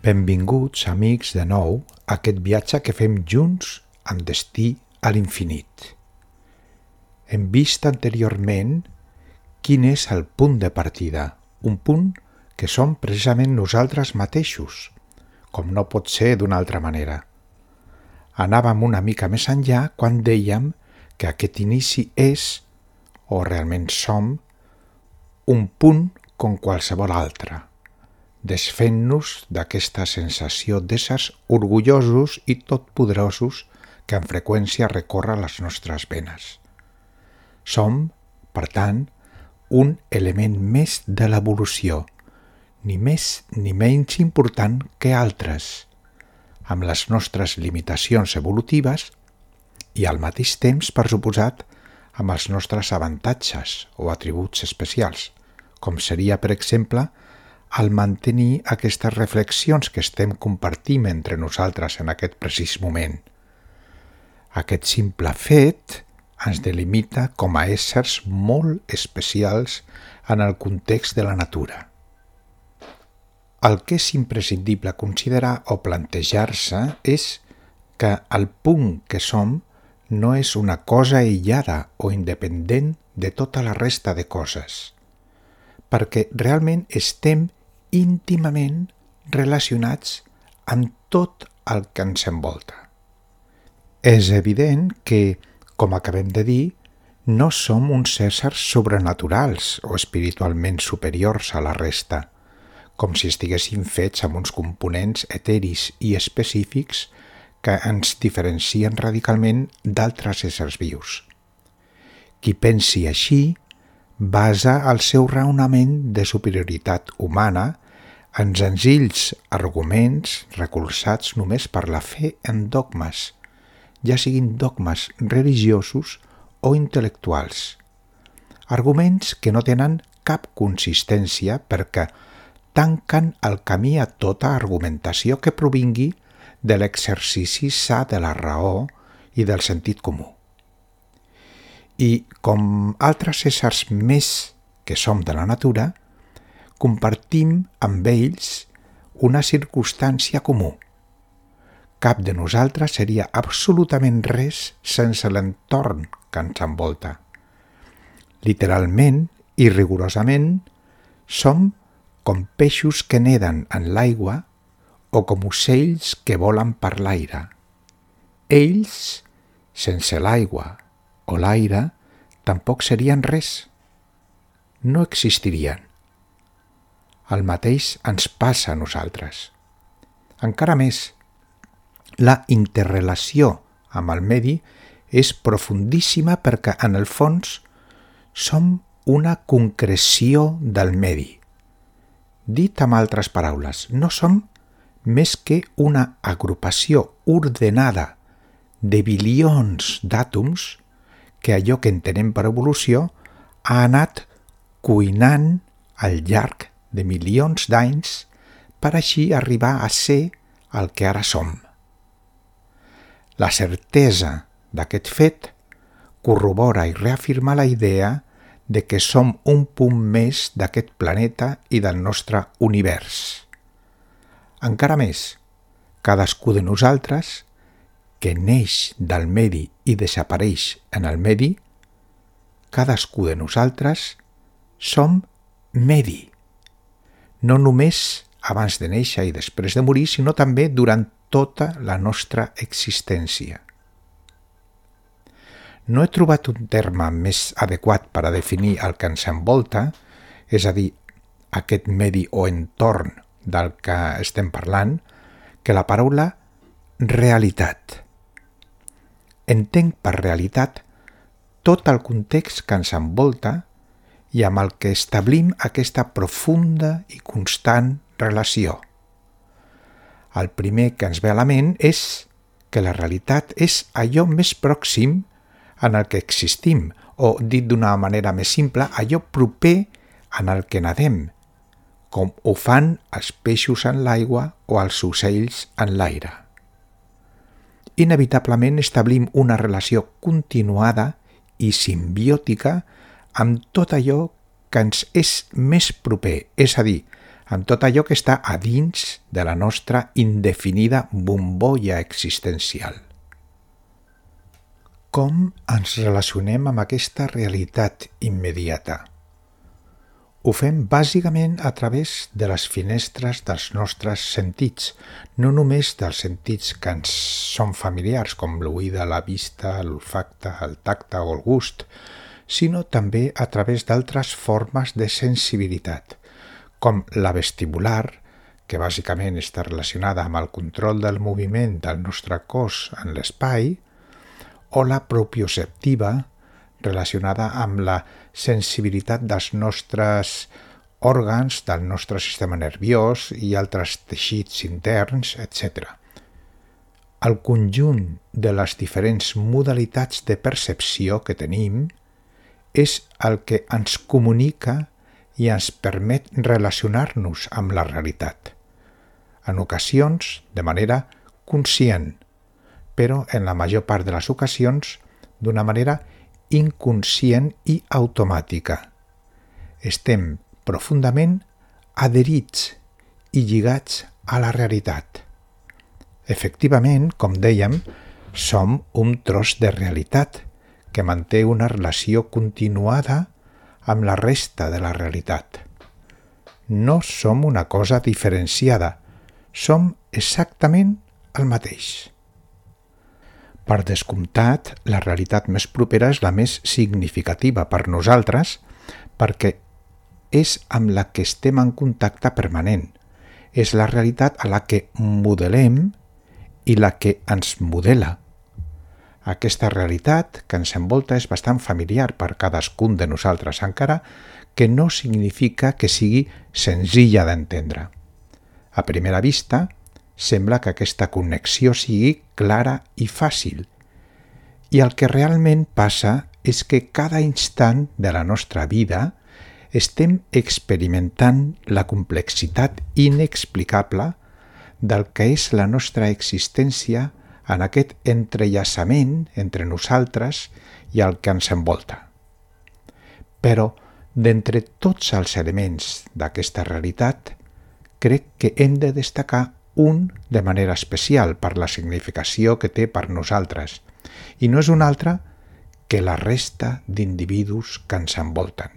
Benvinguts, amics, de nou a aquest viatge que fem junts amb destí a l'infinit. Hem vist anteriorment quin és el punt de partida, un punt que som precisament nosaltres mateixos, com no pot ser d'una altra manera. Anàvem una mica més enllà quan dèiem que aquest inici és, o realment som, un punt com qualsevol altre, desfent-nos d'aquesta sensació d'éssers orgullosos i totpoderosos que amb freqüència recorre les nostres venes. Som, per tant, un element més de l'evolució, ni més ni menys important que altres, amb les nostres limitacions evolutives i al mateix temps, per suposat, amb els nostres avantatges o atributs especials, com seria, per exemple, al mantenir aquestes reflexions que estem compartint entre nosaltres en aquest precís moment. Aquest simple fet ens delimita com a éssers molt especials en el context de la natura. El que és imprescindible considerar o plantejar-se és que el punt que som no és una cosa aïllada o independent de tota la resta de coses, perquè realment estem íntimament relacionats amb tot el que ens envolta. És evident que, com acabem de dir, no som uns éssers sobrenaturals o espiritualment superiors a la resta, com si estiguéssim fets amb uns components eteris i específics que ens diferencien radicalment d'altres éssers vius. Qui pensi així basa el seu raonament de superioritat humana en senzills arguments recolzats només per la fe en dogmes, ja siguin dogmes religiosos o intel·lectuals. Arguments que no tenen cap consistència perquè tanquen el camí a tota argumentació que provingui de l'exercici sa de la raó i del sentit comú. I, com altres éssers més que som de la natura, compartim amb ells una circumstància comú. Cap de nosaltres seria absolutament res sense l'entorn que ens envolta. Literalment i rigorosament, som com peixos que neden en l'aigua o com ocells que volen per l'aire. Ells, sense l'aigua o l'aire, tampoc serien res. No existirien. El mateix ens passa a nosaltres. Encara més, la interrelació amb el medi és profundíssima perquè, en el fons, som una concreció del medi. Dit amb altres paraules, no som més que una agrupació ordenada de bilions d'àtoms que allò que entenem per evolució ha anat cuinant al llarg de milions d'anys per així arribar a ser el que ara som. La certesa d'aquest fet corrobora i reafirma la idea de que som un punt més d'aquest planeta i del nostre univers. Encara més, cadascú de nosaltres, que neix del medi i desapareix en el medi, cadascú de nosaltres som medi. No només abans de néixer i després de morir, sinó també durant tota la nostra existència. No he trobat un terme més adequat per a definir el que ens envolta, és a dir, aquest medi o entorn del que estem parlant, que la paraula realitat. Entenc per realitat tot el context que ens envolta i amb el que establim aquesta profunda i constant relació. El primer que ens ve a la ment és que la realitat és allò més pròxim en el que existim, o, dit d'una manera més simple, allò proper en el que nadem, com ho fan els peixos en l'aigua o els ocells en l'aire. Inevitablement establim una relació continuada i simbiòtica amb tot allò que ens és més proper, és a dir, amb tot allò que està a dins de la nostra indefinida bombolla existencial. Com ens relacionem amb aquesta realitat immediata? Ho fem bàsicament a través de les finestres dels nostres sentits, no només dels sentits que ens són familiars, com l'oïda, la vista, l'olfacte, el tacte o el gust, sinó també a través d'altres formes de sensibilitat, com la vestibular, que bàsicament està relacionada amb el control del moviment del nostre cos en l'espai, o la propioceptiva, relacionada amb la sensibilitat dels nostres òrgans, del nostre sistema nerviós i altres teixits interns, etc. El conjunt de les diferents modalitats de percepció que tenim és el que ens comunica i ens permet relacionar-nos amb la realitat. En ocasions, de manera conscient, però en la major part de les ocasions, d'una manera inconscient i automàtica. Estem profundament adherits i lligats a la realitat. Efectivament, com dèiem, som un tros de realitat que manté una relació continuada amb la resta de la realitat. No som una cosa diferenciada, som exactament el mateix. Per descomptat, la realitat més propera és la més significativa per nosaltres perquè és amb la que estem en contacte permanent. És la realitat a la que modelem i la que ens modela. Aquesta realitat que ens envolta és bastant familiar per cadascun de nosaltres, encara que no significa que sigui senzilla d'entendre. A primera vista, sembla que aquesta connexió sigui clara i fàcil. I el que realment passa és que cada instant de la nostra vida estem experimentant la complexitat inexplicable del que és la nostra existència en aquest entrellaçament entre nosaltres i el que ens envolta. Però, d'entre tots els elements d'aquesta realitat, crec que hem de destacar un de manera especial per la significació que té per nosaltres, i no és un altre que la resta d'individus que ens envolten.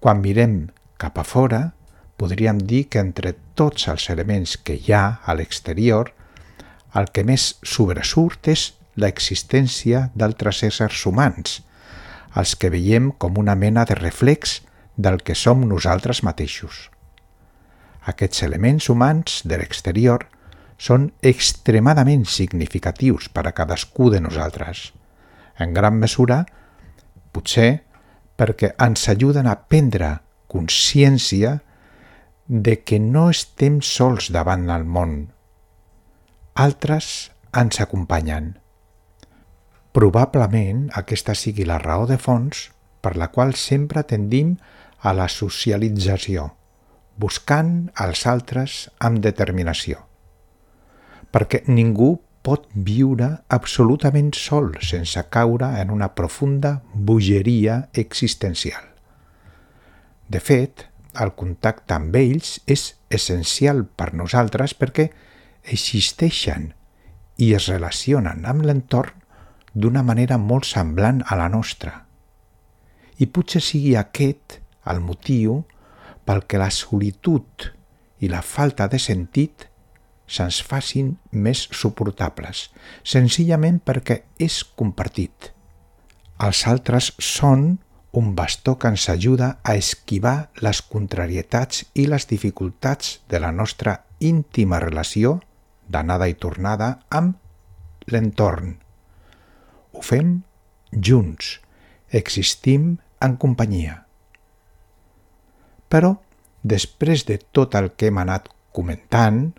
Quan mirem cap a fora, podríem dir que entre tots els elements que hi ha a l'exterior, el que més sobresurt és l'existència d'altres éssers humans, els que veiem com una mena de reflex del que som nosaltres mateixos. Aquests elements humans de l'exterior són extremadament significatius per a cadascú de nosaltres. En gran mesura, potser perquè ens ajuden a prendre consciència de que no estem sols davant el món. Altres ens acompanyen. Probablement aquesta sigui la raó de fons per la qual sempre tendim a la socialització, buscant els altres amb determinació. Perquè ningú pot viure absolutament sol sense caure en una profunda bogeria existencial. De fet, el contacte amb ells és essencial per nosaltres perquè existeixen i es relacionen amb l'entorn d'una manera molt semblant a la nostra. I potser sigui aquest el motiu pel que la solitud i la falta de sentit se'ns facin més suportables, senzillament perquè és compartit. Els altres són un bastó que ens ajuda a esquivar les contrarietats i les dificultats de la nostra íntima relació d'anada i tornada amb l'entorn. Ho fem junts, existim en companyia. Però, després de tot el que hem anat comentant,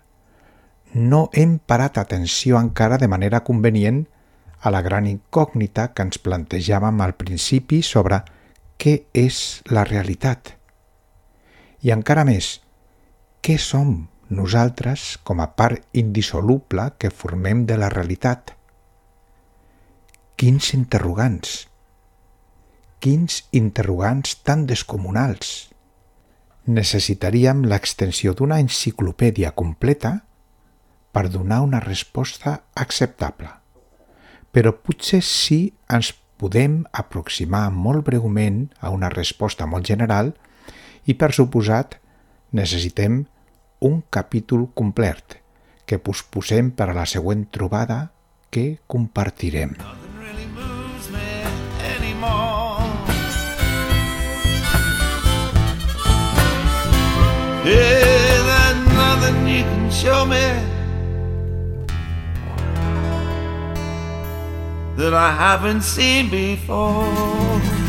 no hem parat atenció encara de manera convenient a la gran incògnita que ens plantejàvem al principi sobre què és la realitat. I encara més, què som nosaltres com a part indissoluble que formem de la realitat? Quins interrogants tan descomunals! necessitaríem l'extensió d'una enciclopèdia completa per donar una resposta acceptable. Però potser sí ens podem aproximar molt breument a una resposta molt general i, per suposat, necessitem un capítol complet que posposem per a la següent trobada que compartirem. Hey, there's nothing you can show me that I haven't seen before.